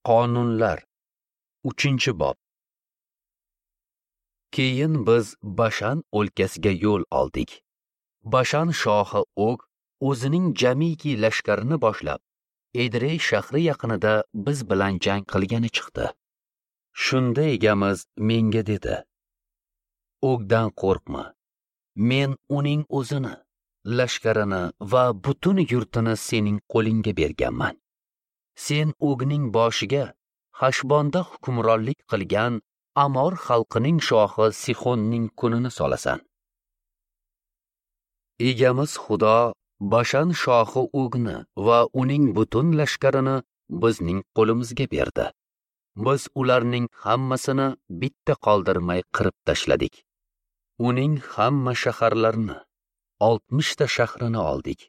Qonunlar 3-bob. Keyin biz Bashan o'lkasiga yo'l oldik. Bashan shohi Og o'zining jamiki lashkarini boshlab, Edrey shahri yaqinida biz bilan jang qilgani chiqdi. Shunda egamiz menga dedi: Ogdan qo'rqma. Men uning o'zini, lashkarini va butun yurtini sening qo'lingga berganman. Sen Ogning boshiga Hashbonda hukmronlik qilgan Amor xalqining shohi Sixonning kunini solasan. Egamiz Xudo Bashan shohi Ogni va uning butun lashkarini bizning qo'limizga berdi. Biz ularning hammasini bitta qoldirmay qirib tashladik. Uning hamma shaharlarini, 60 ta shahrini oldik.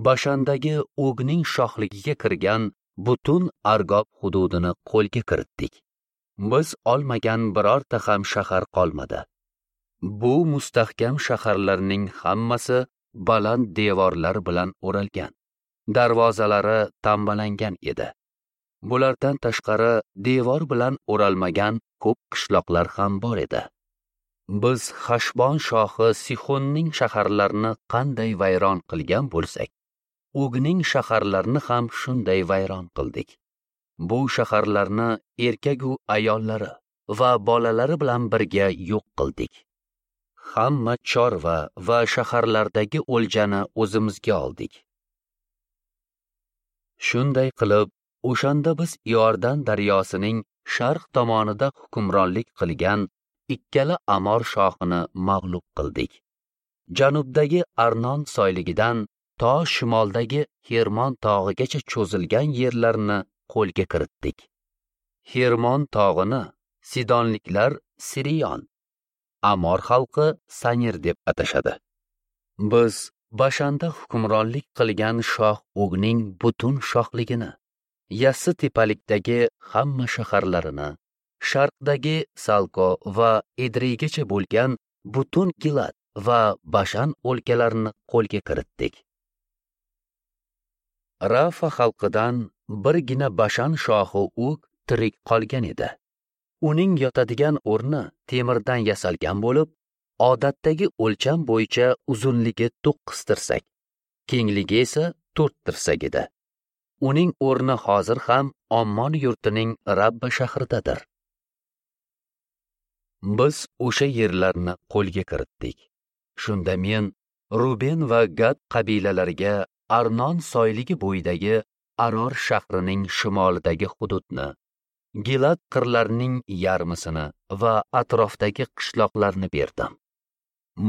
Bashandagi Ogning shohligiga kirgan butun Argob hududini qo'lga kiritdik. Biz olmagan birorta ham shahar qolmadi. Bu mustahkam shaharlarning hammasi baland devorlar bilan o'ralgan, darvozalari tambalangan edi. Bulardan tashqari devor bilan o'ralmagan ko'p qishloqlar ham bor edi. Biz Hashbon shohi Sixonning shaharlarini qanday vayron qilgan bo'lsak, Ogning shaharlarini ham shunday vayron qildik. Bu shaharlarni erkak u ayollari va bolalari bilan birga yo'q qildik. Hamma chorva va shaharlardagi o'ljani o'zimizga oldik. Shunday qilib, o'shanda biz Iordan daryosining sharq tomonida hukmronlik qilgan ikkala Amor shohini mag'lub qildik. Janubdagi Arnon soyligidan to shimoldagi Hermon tog'igacha cho'zilgan yerlarni qo'lga kiritdik. Hermon tog'ini Sidonliklar Siriyon, Amor xalqi Sanir deb atashadi. Biz Bashanda hukmronlik qilgan shoh Ogning butun shohligini, Yassi tepalikdagi hamma shaharlarini, sharqdagi Salko va Edreygacha bo'lgan butun Gilad va Bashan o'lkalarini qo'lga kiritdik. Rafa xalqidan birgina Bashan shohi Og tirik qolgan edi. Uning yotadigan o'rni temirdan yasalgan bo'lib, odatdagi o'lcham bo'yicha uzunligi 9 tirsak, kengligi esa 4 tirsak edi. Uning o'rni hozir ham Ommon yurtining Rabba shahridadir. Biz o'sha yerlarni qo'lga kiritdik. Shunda men Ruben va Gad qabilalariga Arnon soyligi bo'yidagi Aror shahrining shimolidagi hududni, Gilad qirlarining yarmisini va atrofdagi qishloqlarni berdim.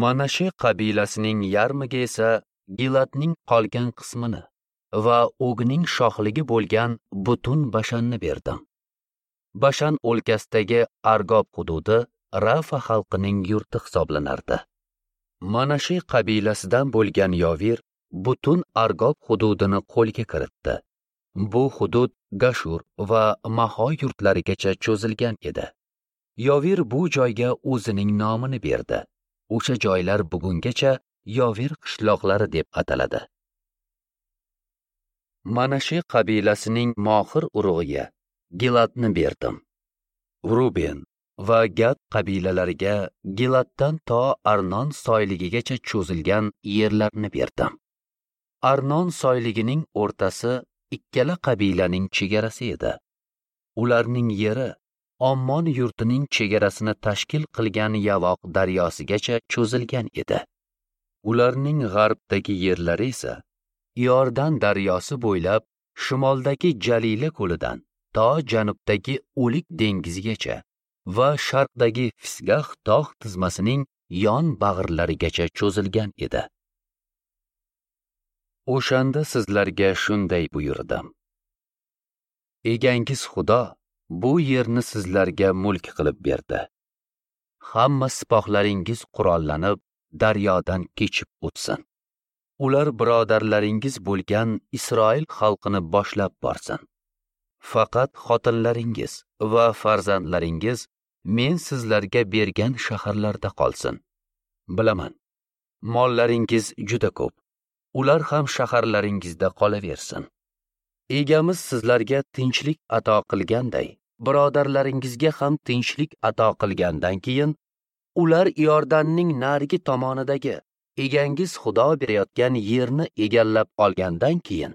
Manashe qabilasining yarmiga esa Giladning qolgan qismini va Ogning shohligi bo'lgan butun Bashanni berdim. Bashan o'lkasidagi Argob hududi Rafa xalqining yurti hisoblanardi. Manashe qabilasidan bo'lgan Yovir butun Argob hududini qo'lga kiritdi. Bu hudud Gashur va Maho yurtlarigacha cho'zilgan edi. Yovir bu joyga o'zining nomini berdi. O'sha joylar bugungacha Yovir qishloqlari deb ataladi. Manashe qabilasining Mohir urug'iga Giladni berdim. Ruben va Gad qabilalariga Giladdan to Arnon soyligigacha cho'zilgan yerlarni berdim. Arnon soyligining o'rtasi ikkala qabilaning chegarasi edi. Ularning yeri Ommon yurtining chegarasini tashkil qilgan Yavoq daryosigacha cho'zilgan edi. Ularning g'arbdagi yerlari esa Iordan daryosi bo'ylab shimoldagi Jalila ko'lidan to janubdagi O'lik dengizigacha va sharqdagi Fisgah tog' tizmasining yon bag'irlarigacha cho'zilgan edi. O'shanda sizlarga shunday buyurdim: Egangiz Xudo bu yerni sizlarga mulk qilib berdi. Hamma sipohlaringiz qurollanib daryodan kechib o'tsin. Ular birodarlaringiz bo'lgan Isroil xalqini boshlab borsin. Faqat xotinlaringiz va farzandlaringiz men sizlarga bergan shaharlarda qolsin. Bilaman, mollaringiz juda ko'p. Ular ham shaharlaringizda qolaversin. Egamiz sizlarga tinchlik ato qilganday, birodarlaringizga ham tinchlik ato qilgandan keyin, ular Iordanning narigi tomonidagi egangiz Xudo berayotgan yerni egallab olgandan keyin,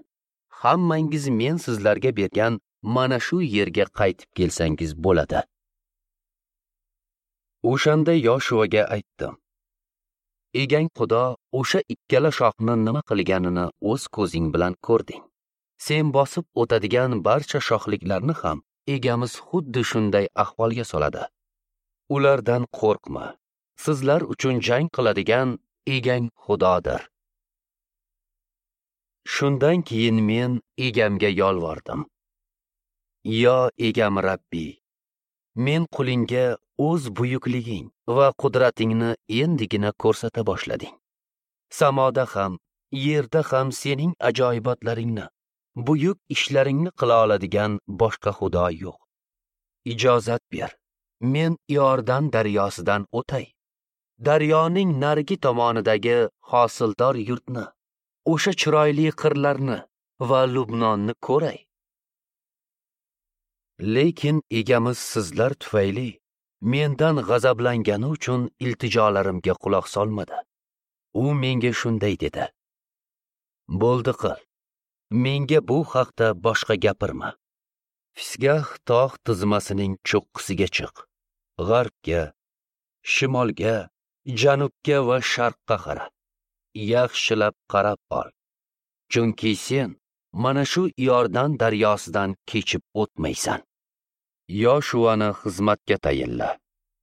hammangiz men sizlarga bergan mana shu yerga qaytib kelsangiz bo'ladi. O'shanda Yoshuaga aytdim: Egang Xudo o'sha ikkala shohni nima qilganini o'z ko'zing bilan ko'rding. Sen bosib o'tadigan barcha shohliklarni ham egamiz xuddi shunday ahvolga soladi. Ulardan qo'rqma. Sizlar uchun jang qiladigan egang Xudodir. Shundan keyin men egamga yolvordim. Yo egam Rabbi, men qulingga o'z buyukliging va qudratingni endigina ko'rsata boshlading. Samoda ham, yerda ham sening ajoyibotlaringni, buyuk ishlaringni qila oladigan boshqa xudo yo'q. Ijozat ber, men Iordan daryosidan o'tay. Daryoning narigi tomonidagi hosildor yurtni, o'sha chiroyli qirlarni va Lubnonni ko'ray. Lekin egamiz sizlar tufayli mendan g'azablangani uchun iltijolarimga quloq solmadi. U menga shunday dedi: Bo'ldi qil. Menga bu haqda boshqa gapirma. Fisgah tog' tizmasining cho'qqisiga chiq. G'arbga, shimolga, janubga va sharqqa qara. Yaxshilab qarab ol. Chunki sen mana shu Iordan daryosidan kechib o'tmaysan. Yoshuani xizmatga tayinla.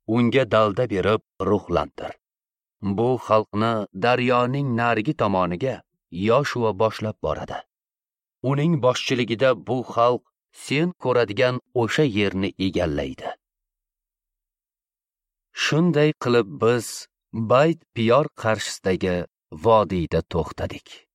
Unga dalda berib ruhlantir. Bu xalqni daryoning narigi tomoniga Yoshua boshlab boradi. Uning boshchiligida bu xalq sen ko'radigan o'sha yerni egallaydi. Shunday qilib biz Bayt Piyor qarshisidagi vodiyda to'xtadik.